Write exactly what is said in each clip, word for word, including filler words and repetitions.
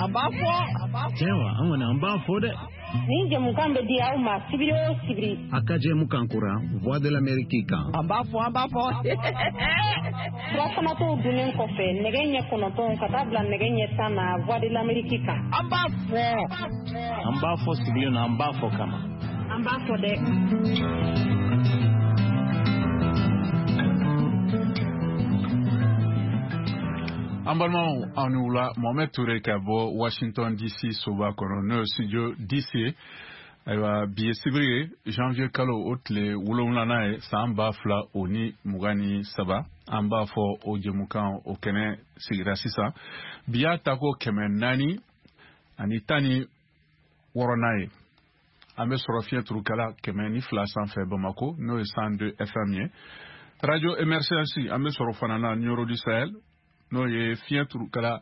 An b'a fɔ. Tiɲɛ wa, an kɔni an b'a fɔ dɛ. Nin jɛmukan bɛ di aw ma sibiri o sibiri. A ka jɛmukan kura Voix de l'Amérique kan. An b'a fɔ, an b'a fɔ. Furafanatɔw dunnen kɔfɛ nɛgɛ ɲɛ kɔnɔntɔn ka taa bila nɛgɛ ɲɛ tan na Voix de l'Amérique kan. An b'a fɔ. An b'a fɔ sigilen na, an b'a fɔ kama. An b'a fɔ dɛ. An balimaw, aw ni wula. Mohamed Toure ka bɔ Washington D C soba kɔnɔ, n'o ye studio D C. Ayiwa, bi ye sibiri ye, janvier kalo o tile wolonwulanan ye, san ba fila o ni mugan ni saba. An b'a fɔ o jɛmukan o kɛnɛ sigira sisan. Bi y'a tako kɛmɛ naani ani tan ni wɔɔrɔnan ye. An bɛ sɔrɔ fiɲɛ turukala kɛmɛ ni fila sanfɛ Bamako, n'o ye cent deux F M ye, Radio Emergence. An bɛ sɔrɔ fana na Nioro du Sahel, n'o ye fiɲɛ turukala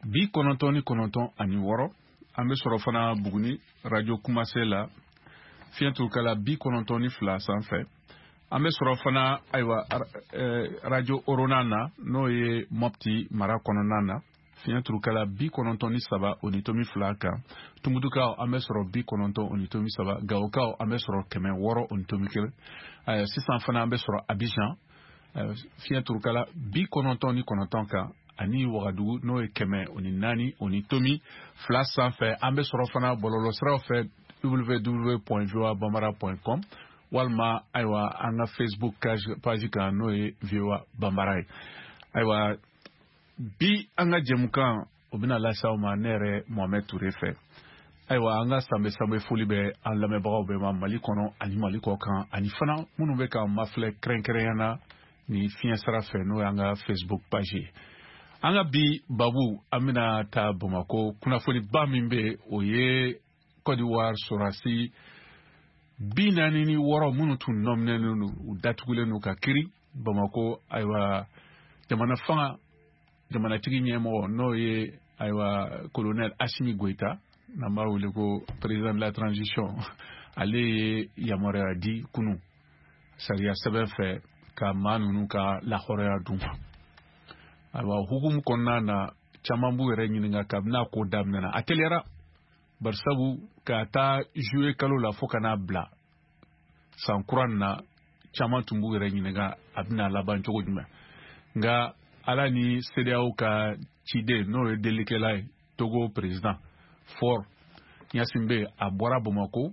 bi kɔnɔntɔn ni kɔnɔntɔn ani wɔɔrɔ. An bɛ sɔrɔ fana Buguni, Radio Kumase la, fiɲɛ turukala bi kɔnɔntɔn ni fila sanfɛ. An bɛ sɔrɔ fana, ayiwa, Radio Orona na, n'o ye Mopti mara kɔnɔna na, fiɲɛ turukala bi kɔnɔntɔn ni saba o ni tomi fila kan. Tumutukaw, an bɛ sɔrɔ bi kɔnɔntɔn o ni tomi saba. Gawokaw, an bɛ sɔrɔ kɛmɛ wɔɔrɔ o ni tomi kelen. Sisan fana an bɛ sɔrɔ Abidjan, fiɲɛ turukala bi kɔnɔntɔn ni kɔnɔntɔn kan, ani Wagadugu, n'o ye kɛmɛ o ni naani o ni tomi fila sanfɛ. An bɛ sɔrɔ fana bɔlɔlɔsiraw fɛ, w w w point voa bambara point com, walima, ayiwa, an ka Facebook page kan, n'o ye V O A Bambara ye. Ayiwa, bi an ka jɛmukan o bɛna lase aw ma, ne yɛrɛ Mohamed Toure fɛ. Ayiwa, an ka sanbɛ sanbɛ foli bɛ an lamɛnbagaw bɛɛ ma Mali kɔnɔ ani Mali kɔ kan, ani fana minnu bɛ k'an mafilɛ kɛrɛnkɛrɛnya na ni fiɲɛ sira fɛ, n'o y'an ka Facebook page ye. An ka bi babu, an bɛna taa Bamakɔ. Kunnafoniba min bɛ, o ye Côte d'Ivoire sɔrɔdasi bi naani ni wɔɔrɔ minnu tun nɔminɛnen don, u datugulen don ka kiri Bamakɔ. Ayiwa, jamana fanga jamanatigi ɲɛmɔgɔ, n'o ye, ayiwa, colonel Assimi Goïta, n'an b'a wele ko président de la transition, ale ye yamaruya di kunu sariya sɛbɛn fɛ ka maa ninnu ka lahɔrɔnya d'u ma. Ayiwa, hukumu kɔnɔna na, caman b'u yɛrɛ ɲininka kabini a ko daminɛna, a teliyara, barisabu ka taa juillet kalo la fo ka n'a bila san kura nin na, caman tun b'u yɛrɛ ɲininka a bɛna laban cogo jumɛn. Nka ala ni CEDEAO ka ciden, n'o ye delikɛla ye, Togo président Faure Gnassingbé, a bɔra Bamako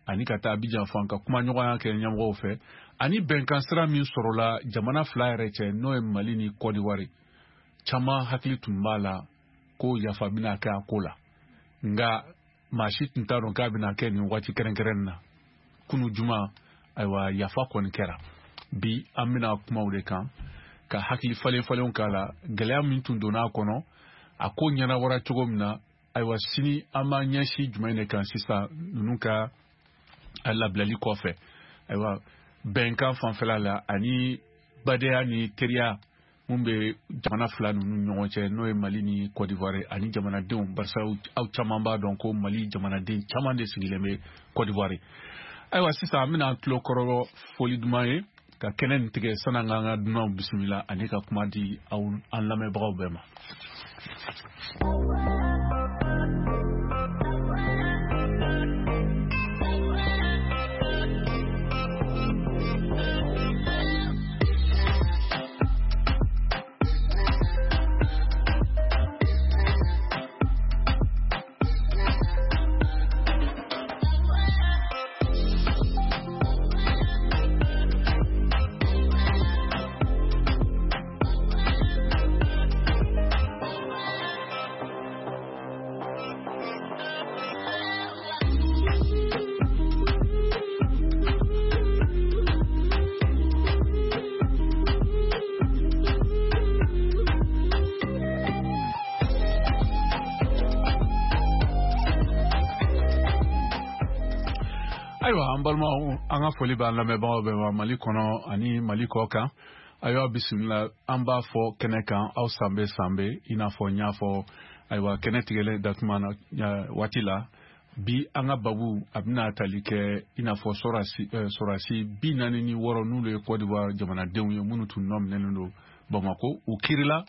ani ka taa Abidjan fan ka kumaɲɔgɔnya kɛ ɲɛmɔgɔw fɛ, ani bɛnkan sira min sɔrɔla jamana fila yɛrɛ cɛ, n'o ye Mali ni Côte d'Ivoire, caman hakili tun b'a la ko yafa bɛna kɛ a ko la. Nka maa si tun t'a dɔn k'a bɛna kɛ nin waati kɛrɛnkɛrɛn na, kunu juma. Ayiwa, yafa kɔni kɛra. Bi an bɛna kumaw de kan ka hakili falen falenw k'a la, gɛlɛya min tun donna a kɔnɔ, a ko ɲɛnabɔra cogo min na. Ayiwa, sini an b'an ɲɛsin jumɛn de kan sisan ninnu ka labilali kɔfɛ? Ayiwa, bɛnkan fanfɛla la ani badenya ni teriya mun bɛ jamana fila ninnu ɲɔgɔn cɛ, n'o ye Mali ni Côte d'Ivoire, ani jamanadenw, barisa aw caman b'a dɔn ko Mali jamanaden caman de sigilen bɛ Côte d'Ivoire. Ayiwa, sisan an bɛna tulo kɔrɔ foli duman ye ka kɛnɛ nin tigɛ san'an k'an ka dunanw bisimila ani ka kuma di aw an lamɛnbagaw bɛɛ ma. Ayiwa, an balimaw, an ka foli b'an lamɛnbagaw bɛɛ ma Mali kɔnɔ ani Mali kɔ kan. Ayiwa, bisimila, an b'a fɔ kɛnɛ kan aw sanbɛ sanbɛ, i n'a fɔ n y'a fɔ, ayiwa, kɛnɛ tigɛlen datuma na waati la. Bi an ka babu a bɛna tali kɛ i n'a fɔ sɔrɔdasi sɔrɔdasi bi naani ni wɔɔrɔ, n'olu ye Côte d'Ivoire jamanadenw ye, minnu tun nɔ minɛnen don Bamako, u kirila.